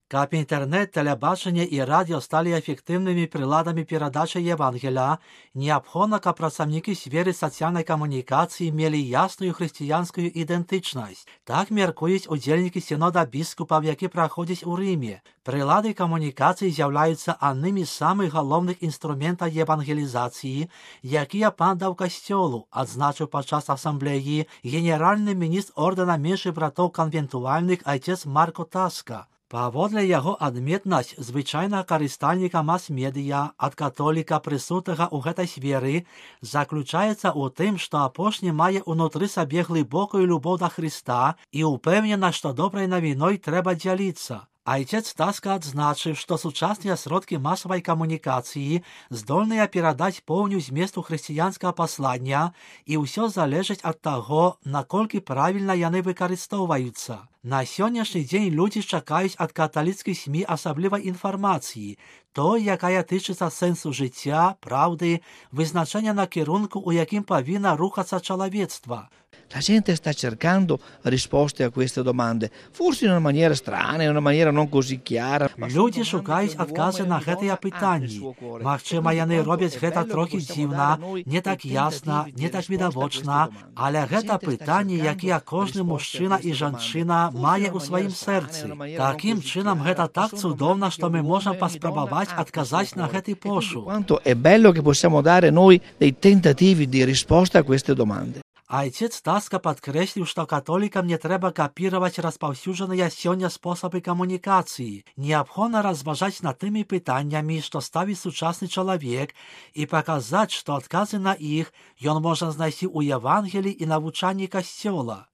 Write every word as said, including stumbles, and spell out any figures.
Каб інтэрнэт, тэлебачанне і радыё сталі эфектыўнымі прыладамі перадачы Евангеля, неабходна, каб працаўнікі сферы сацыяльнай камунікацыі мелі ясную хрысціянскую ідэнтычнасць. Так мяркуюць удзельнікі сінода біскупаў, які праходзіць у Рыме. Прылады камунікацыі з'яўляюцца аднымі з самых галоўных інструментаў евангелізацыі, якія пан даў касцёлу, адзначыў падчас асамблеі генеральны міністр ордэна меншых братоў канвентуальных айцец Марко Таска. Паводле яго адметнасць звычайнага карыстальніка мас-медыя ад католіка, прысутага ў гэтай сферы, заключаецца ў тым, што апошні мае ўнутры сабе глыбокую любоў да Хрыста і ўпэўнена, што добрай навіной трэба дзяліцца. Айцец Таска адзначыў, што сучасныя сродкі масавай камунікацыі здольныя перадаць поўню зместу хрысціянскага паслання, і ўсё залежыць ад таго, наколькі правільна яны выкарыстоўваюцца. На сённяшні дзень людзі чакаюць ад каталіцкіх СМІ асаблівай інфармацыі, той, якая тычыцца сэнсу жыцця, праўды, вызначэння накірунку, у якім павінна рухацца чалавецтва. La gente sta cercando risposte a queste domande, forse in una maniera strana, in una maniera non così chiara. Людзі шукаюць адказы на гэтыя пытанні. Магчыма, яны робяць гэта трохі дзіўна, не так ясна, не так відавочна, але гэта пытанні, якія кожны мужчына і жанчына мае ў сваім сэрцы. Такім чынам гэта так цудоўна, што мы можам паспрабаваць адказаць на гэты пошук. Quanto è bello che possiamo dare noi dei tentativi di risposta a queste domande. Айцец Таска падкрэсліў, што католікам не трэба капіраваць распаўсюджаныя сёння спосабы камунікацыі. Неабходна разважаць над тымі пытаннямі, што ставіць сучасны чалавек, і паказаць, што адказы на іх ён можа знайсці ў Евангеліі і навучанні касцёла.